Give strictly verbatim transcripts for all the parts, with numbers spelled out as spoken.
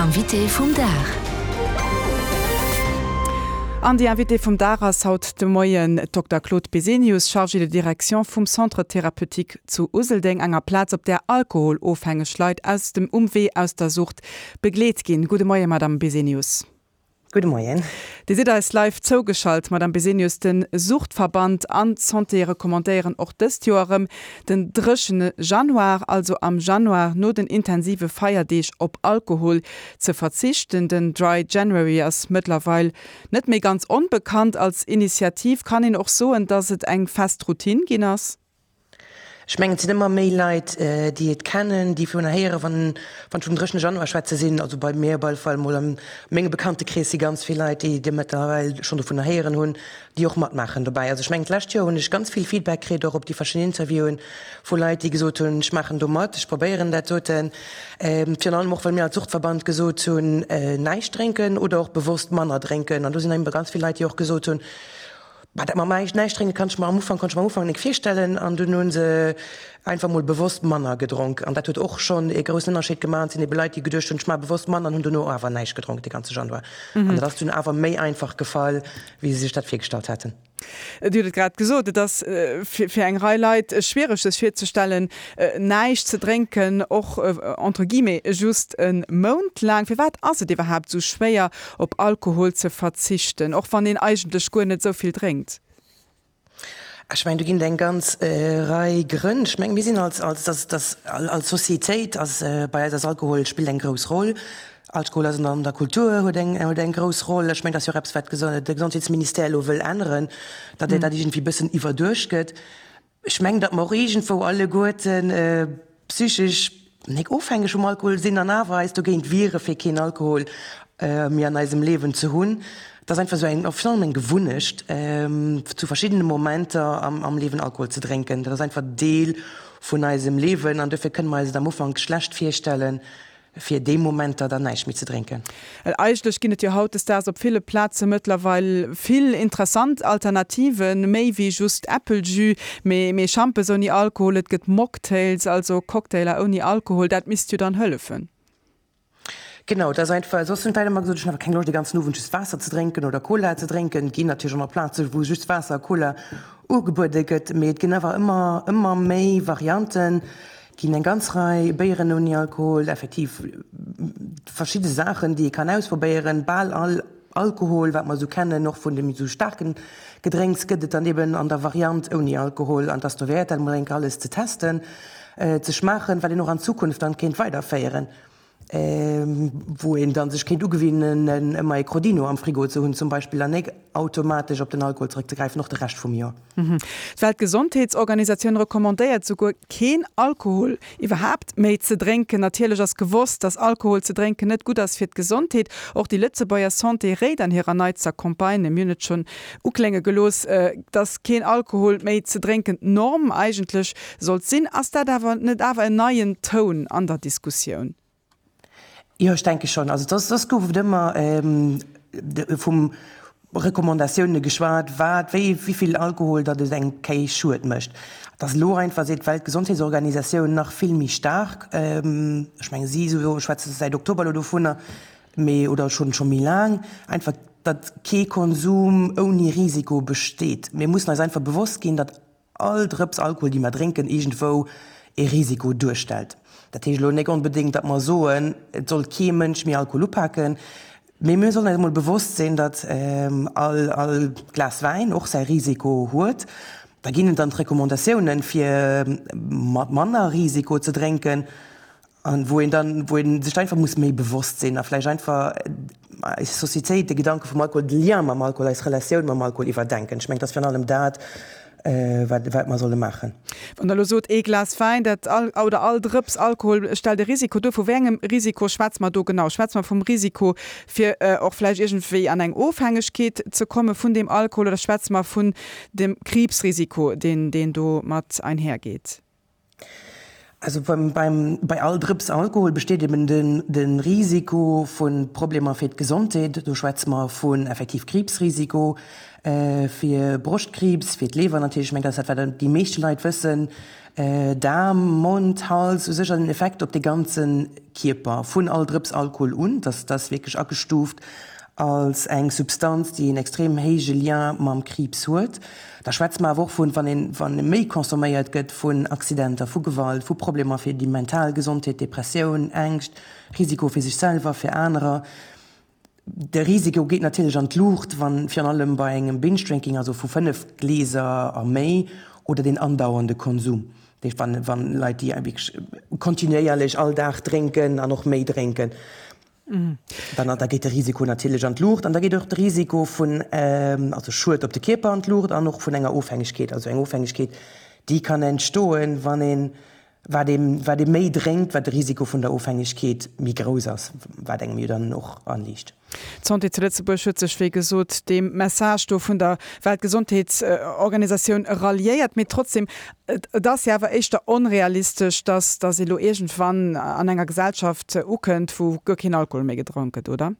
Invité vum Dag. An déi Invitée vum Dag ass haut de Moien d'Dokter Claude Besenius, Chargée de direction vum Centre thérapeutique zu Useldeng, enger Plaz, op där alkoholofhängeg Leit aus dem um Wee aus der Sucht begleet ginn. Gudde Moien, Madame Besenius. Gudde Moien. Dir sidd eis live zougeschalt, Madame Besenius. De Suchtverband an d'Santé recommandéieren och dëst Joer erëm, den dréchene Januar, also am Januar no den intensive Feierdeeg, op Alkohol ze verzichten. Den Dry January ass mëttlerweil net méi ganz onbekannt als Initiativ. Kann een och soen, dass et eng fest Routine ginn ass? Ech mengen, et sinn ëmmer méi Leit, déi et kennen, déi vun héieren, wann wann ech vum dréchene Januar schwätze sinn, also bei mir op alle Fall mol a mengem Bekanntekrees si ganz vill Leit, déi déi mëttlerweil schonn dovunner héieren hunn, déi och matmaachen dobäi. Also ech mengen, d'lescht Joer hunn ech ganz vill Feedback kritt, och op déi verschidden Interviewen, vu Leit, déi gesot hunn, ech maachen do mat, ech probéieren dat doten. Virun allem och, well mir als Suchtverband gesot hunn, näischt drénken oder och bewosst manner drénken. An do sinn ebe ganz vill Leit, déi och gesot hunn, Bah, dat mam näischt drénke kann ech mer am Ufank, konnt ech mer am Ufank nik virstellen. An dunn hu se einfach mol bewosst manner gedronk. An dat huet och schonn ee groussen Ënnerscheed gemaach. An et sinn ebe Leit, déi geduecht hunn, ech maache bewosst manner an hunn dono awer näischt gedronk de ganze Januar. An dat ass dunn awer méi einfach gefall, wéi se sech dat virgestallt haten. Dir hutt et grad gesot, et ass fir eng Rei Leit schwiereg sech virzestellen, näischt ze drénken, och entre guillemets just e Mount laang. Firwat ass et iwwerhaapt esou schwéier op Alkohol ze verzichten, och wann een eigentlech guer net esou vill drénkt? Ech mengen, do ginn et eng ganz Rei Grënn. Ech mengen, mir sinn als, als, als, als Societéit ass bei eis ass Alkohol spillt eng grouss Roll. Alkohol ass an der Kultur, huet eng, huet eng grouss Roll. Ech mengen, dat ass jo och eppes, wat de Gesondheetsministère elo wëll änneren, datt dat iergendwéi e bëssen iwwerduecht gëtt. Ech mengen, datt mer och iergendwou alleguerten psychesch nik ofhängeg vum Alkohol sinn an awer eis dogéint wiere fir keen Alkohol méi an eisem Liewen ze hunn. Et ass einfach esou eng, virun allem eng Gewunnecht, zu verschiddene Momenter am Liewen Alkohol ze drénken. Dat ass einfach Deel vun eisem Liewen an dofir kënne mer eis et am Ufank schlecht virstellen, fir déi Momenter dann näischt méi ze drénken. Well eigentlech ginn et jo hautdesdaags op ville Plaze mëttlerweil vill interessant Alternativen, méi wéi just Äppeljus, mee mee Schampes ouni Alkohol, et gëtt Mocktails, also Cocktailer ouni Alkohol, dat misst jo dann hëllefen. Genau, et ass einfach, soss hunn d'Leit ëmmer gesot, ech hunn awer keng Loscht de ganzen Owend just Waasser ze drénken oder Cola ze drénken. Et ginn natierlech och nach Plaze wou just Waasser a Cola ugebuede gëtt, mee et ginn awer ëmmer ëmmer méi Varianten. Ginn eng ganz Rei Béieren ouni Alkohol, effektiv verschidde Saachen, déi ee kann ausprobéieren. Bal all Alkohol, wat mer esou kennen, och vun de méi esou staarken Gedrénks, gëtt et dann eben an der Variant ouni Alkohol. An et ass dowäert, dat emol eng Kéier alles ze testen, ze schmaachen, wat een och an Zukunft dann kéint weiderféieren, wou een dann sech kéint ugewinnen, ëmmer ee Crodino am Frigo ze hunn zum Beispill, an nek automatesch op den Alkohol zrëckzegräifen, och de Rescht vum Joer. D'Weltgesondheetsorganisatioun recommandéiert souguer, keen Alkohol iwwerhaapt méi ze drénken. Natierlech ass gewosst, dass Alkohol ze drénken net gutt ass fir d'Gesondheet. Och déi Lëtzebuerger Santé réit an hirer neitster Campagne, mir hunn et schonn uklénge gelooss, dass keen Alkohol méi ze drénken d'Norm eigentlech sollt sinn. Ass dat awer net awer en neien Toun an der Diskussioun? Jo, ech denke schonn. Also soss, soss gouf et ëmmer vum Recommandatioune geschwat, wat, wéi, wéi vill Alkohol datt et engem kee Schued mécht. Et ass elo einfach, seet d'Weltgesondheetsorganisatioun, nach vill méi staark. Ech menge si souwisou schwätze säit Oktober elo dovunner, mee, oder schonn, scho méi laang, einfach datt kee Konsum ouni Risiko besteet. Mir mussen eis einfach bewosst ginn, datt all Drëps Alkohol, déi mer drénken, iergendwou ee Risiko duerstellt. Dat heescht elo nek onbedéngt, datt mer soen, et soll kee Mënsch méi Alkohol upaken, mee mir sollen eis emol bewosst sinn, datt all all Glas Wäin och säi Risiko huet. Da ginn et dann d'Recommandatiounen, fir mat manner Risiko ze drénken. An wou een dann, wou ee sech einfach muss méi bewosst sinn a vläicht einfach eis Societéit, de Gedanke vum Alkohol, de Lien mam Alkohol, eis Relatioun mam Alkohol iwwerdenken. Ech mengen, et ass virun allem dat, wat, wat mer solle maachen. Wann Der elo sot, ee Glas Wäin, dat all, oder all Drëps Alkohol stellt e Risiko duer, vu wéi engem Risiko schwätze mer do genau? Schwätze mer vum Risiko, fir och vläicht iergendwéi an eng Ofhängegkeet ze komme vun deem Alkohol, oder schwätze mer vun dem Kriibsrisiko, deen, deen do mat einhergeet? Also beim, beim, bei all Drëps Alkohol besteet eben den, den Risiko vu Problemer fir d'Gesondheet. Do schwätze mer vun effektiv Kriibsrisiko, äh, fir Broschtkriibs, fir d'Leewer natierlech, ech mengen, dat ass dat, wat déi meeschte Leit wëssen, äh, Daarm, Mond, Hals, u sech en Effekt op de ganze Kierper vun all Drëps Alkohol un. Dat ass wierklech agestuuft als eng Substanz, déi en extrem héije Lien mam Kriibs huet. Da schwätze mer awer och vun, wann een, wann méi consomméiert gëtt, vun Accidenter, vu Gewalt, vu Problemer fir déi mental Gesondheet, Depressioun, Ängscht, Risiko fir sech selwer, fir anerer. De Risiko geet natierlech an d'Luucht, wann virun allem bei engem Binge-Drinking, also vu fënnef Glieser a méi, oder den andauernde Konsum, dat heescht wann, wann Leit, déi wierklech kontinuéierlech all Dag drénken an och méi drénken, dann da geet de Risiko natierlech an d'Luucht an da geet och de Risiko vun, also Schued op de Kierper an d'Luucht an och vun enger Ofhängegkeet, also eng Ofhängegkeet, déi kann entstoen, wann een, wat ee wat ee méi drénkt, wat de Risiko vun der Ofhängegkeet méi grouss ass, wat engem jo dann och anliicht. D'Santé zu Lëtzebuerg huet sech, wéi gesot, deem Message do vun der Weltgesondheetsorganisatioun ralliéiert. Mee trotzdem, et ass jo awer éischter onrealistesch, dass dass ee lo iergendwann an enger Gesellschaft ukënnt, wou guer keen Alkohol méi gedronk gëtt, oder?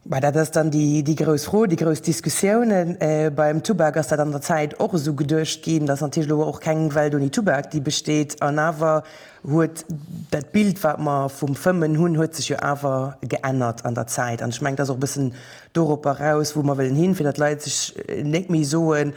Bah, dat ass dann déi, déi grouss Fro, déi grouss Diskussiounen. Beim Tubak ass dat an der Zäit och esou geduecht ginn. Dat ass natierlech elo och keng Welt ouni Tubak, déi besteet. An awer huet dat Bild, wat mer vum Fëmmen hunn, huet sech jo awer geännert an der Zäit. An ech mengen, dat ass och e bëssen doropper eraus, wou mer wëllen hin, fir datt d'Leit sech net méi soen,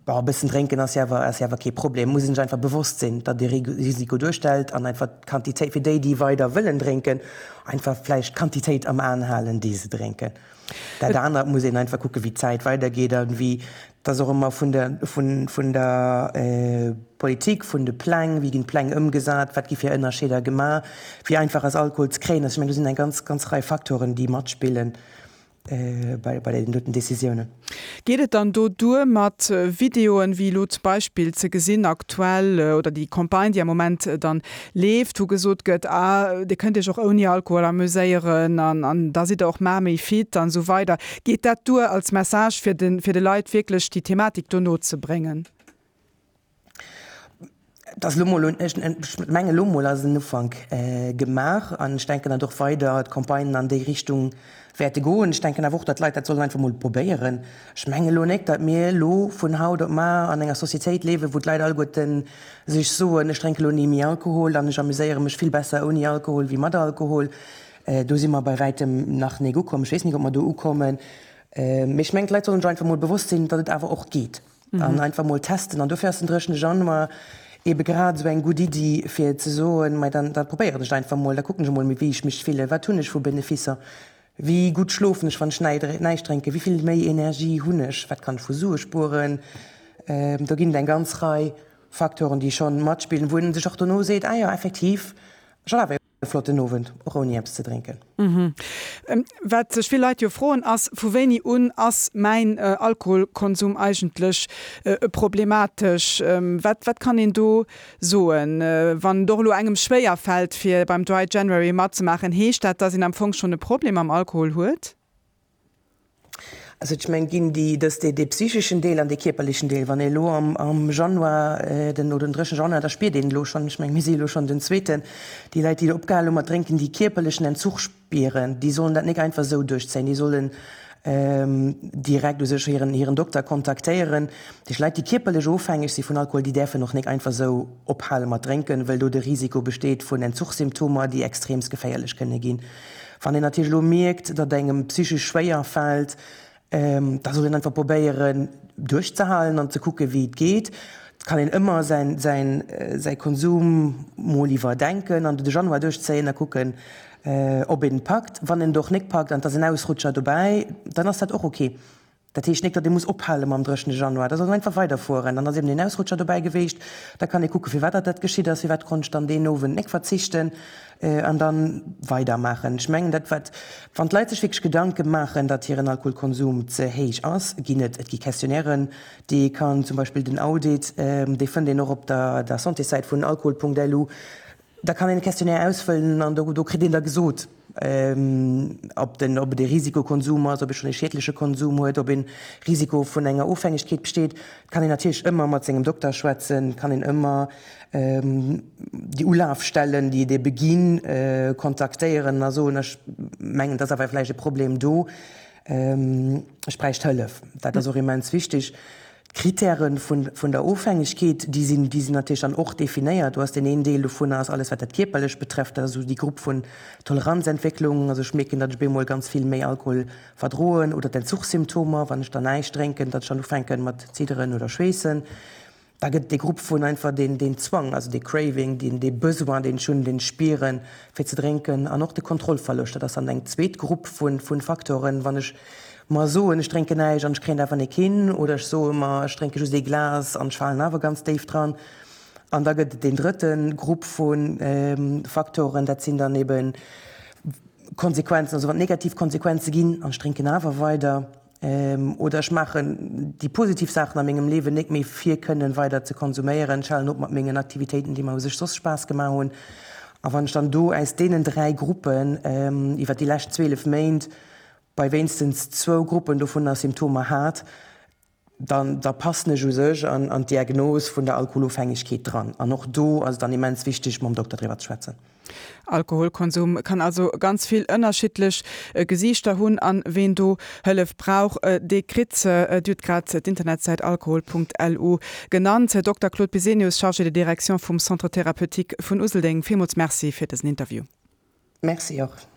Bon, e bëssen drénken ass jo awer, ass jo awer kee Problem. Muss een sech einfach bewosst sinn, datt e Risiko duerstellt an einfach d'Quantitéit, fir déi, déi weider wëllen drénken, einfach vläicht d'Quantitéit am Aen halen, déi se drénken. Dat anert muss een einfach kucken, wéi d'Zäit weidergeet a wéi, dat ass och ëmmer vun der, vun, vun der Politik, vun de Pläng, wéi ginn d'Pläng ëmgesat, wat gi fir Ënnerscheeder gemaach, wéi einfach ass Alkohol ze kréien. Also ech mengen, do sinn eng ganz, ganz Rei Facteuren, déi matspillen. bei bei den doten Decisiounen. Geet et dann do duer mat Videoen, wéi elo zum Beispill ze gesinn aktuell, oder déi Campagne, déi am Moment dann leeft, wou gesot gëtt, ah Dir kënnt Iech och ouni Alkohol amuséieren an an da sidd Der och mar méi fit an esou weider. Geet dat duer als Message fir de fir de Leit wierklech déi Thematik do no ze bréngen? Et ass elo mol, ech mengen elo mol ass en Ufank gemaach an ech denken, datt och weider d'Campagnen an déi Richtung wäerte goen. Ech denken awer och, datt d'Leit dat sollen einfach mol probéieren. Ech mengen elo nek, datt mir elo vun haut op mar an enger Societéit liewen, wou d'Leit alleguerten sech soen, ech drénke elo ni méi Alkohol an ech amuséiere mech vill besser ouni Alkohol wéi mat Alkohol. Do si mer bei wäitem nach nek ukomm. Ech weess nik, ob mer do ukommen. Mee ech mengen, d'Leit sollen sech einfach mol bewosst sinn, datt et awer och geet an einfach mol testen. An dofir ass den dréchene Januar ebe grad esou eng gutt Iddi, fir ze soen, Mei, dann da probéieren ech et einfach mol, da kucken ech emol, wéi ech mech fillen, wat hunn ech vu Beneficer, wéi gutt schlofen ech, wann ech näischt drénken, wéi vill méi Energie hunn ech, wat kann ech vu Sue spueren. Do ginn et eng ganz Rei Facteuren, déi scho matspillen, wou een sech och dono seet, Ah jo, effektiv, ech hat awer e flotten Owend, och ouni eppes ze drénken. Wat sech vill Leit jo froen ass, Vu wéini un ass mäin Alkoholkonsum eigentlech problematesch? Wat wat kann een do soen? Wann et och elo engem schwéier fält fir beim Dry January matzemaachen, heescht dat, dass een am Fong schonn e Problem mam Alkohol huet? Also ech mengen, ginn déi, dës, dee, dee psycheschen Deel an dee kierperlechen Deel. Wann ee elo am, am Januar, den, oder den dréchene Januar, da spiert een elo schonn, ech mengen, mir si elo schonn den zweeten, déi Leit, déi opgehal hu mat drénken, déi kierperlechen Entzuch spieren, déi sollen dat nik einfach esou duerchzéien, déi sollen direkt u sech hiren, hiren Dokter kontaktéieren. Déi Leit, déi kierperlech ofhängeg si vun Alkohol, déi däerfen och nik einfach esou ophale mat drénken, wëll do de Risiko besteet vun Entzuchsymptomer, déi extreemst geféierlech kënne ginn. Wann een natierlech elo mierkt, datt engem psychesch schwéier fält, da soll een einfach probéieren duerchzehalen an ze kucken, wéi et geet. Et kann een ëmmer säin, säin, säi Konsum mol iwwerdenken an de Januar duerchzéien a kucken, ob een et packt. Wann een et och nik packt an et ass en Ausrutscher dobäi, dann ass dat och ok. Dat heescht nik, datt ee muss ophale mam dréchene Januar, da soll en einfach weiderfueren. Dann ass eben een Ausrutscher dobäi geweecht, da kann ee kucke firwat datt dat geschitt ass, firwat konnt ech dann deen Owend nik verzichten an da weidermaachen. Ech mengen dat wat, wann d'Leit sech wierklech Gedanke maachen, datt hiren Alkoholkonsum ze héich ass, ginn et, et gi Questionnairen, déi ee kann, zum Beispill den Audit, dee fënnt een och op der der Santéssäit vun alkohol Punkt lu, da kann een e Questionnaire ausfëllen an do do kritt een da gesot, Ob den, ob et e Risikokonsum ass, ob e schonn e schiedleche Konsum huet, ob e Risiko vun enger Ofhängegkeet besteet, kann een natierlech ëmmer mat sengem Dokter schwätzen, kann een ëmmer déi Ulafstellen, déi et ebe ginn, kontaktéieren a soen, ech mengen, et ass awer vläicht e Problem do, ech bräicht Hëllef. Dat ass och immens wichteg. D'Kritäre vun der Ofhängegkeet, déi sinn, déi sinn natierlech dann och definéiert. Do ass deen een Deel dovunner ass alles, wat dat Kierperlecht betrefft, dat ass esou déi Grupp vun Toleranzentwécklung, also ech mierken, datt ech bemol ganz vill méi Alkohol verdroen, oder d'Entzuchssymptomer, wann ech dann näischt drénken, datt ech dann ufänken mat zidderen oder schweessen. Da gëtt et dee Grupp vun einfach deen, deen Zwang, also dee Craving, deen, dee Besoin, deen ech hunn, deen ech spieren, fir ze drénken, an och de Kontrollverloscht. Dat ass dann eng zweet Grupp vu, vu Faktoren, wann ech mer soen, ech drénken näischt an ech kréien et awer nik hin, oder ech soe mer, ech drénke just ee Glas an ech falen awer ganz déif dran. An da gëtt et deen drëtte Grupp vu Faktoren, dat sinn dann ebe Konsequenzen, also wann et negativ Konsequenze ginn an ech drénken awer weider, oder ech maachen déi positiv Saachen a mengem Liewen nik méi fir kënnen weider ze konsuméieren, ech halen op mat mengen Aktivitéiten, déi mer u sech soss Spaass gemaach hunn. A wann ech dann do aus deenen dräi Gruppen iwwer déi lescht zwielef Méint bei wéinstens zwou Gruppen dovunner Symptomer hat, dann da passen ech u sech an an d'Diagnos vun der Alkoholofhängegkeet dran. An och do ass et dann immens wichteg, mam Dokter driwwer ze schwätzen. Alkoholkonsum kann also ganz vill ënnerschiddlech Gesiichter hunn an ween do Hëllef brauch, dee kritt se. Dir hutt grad d'Internetsäit alkohol.lu genannt. Här Dokter Claude Bisenius, Chargé de direction vum Centre thérapeutique vun Useldeng, villmools Merci fir dësen Interview. Merci och.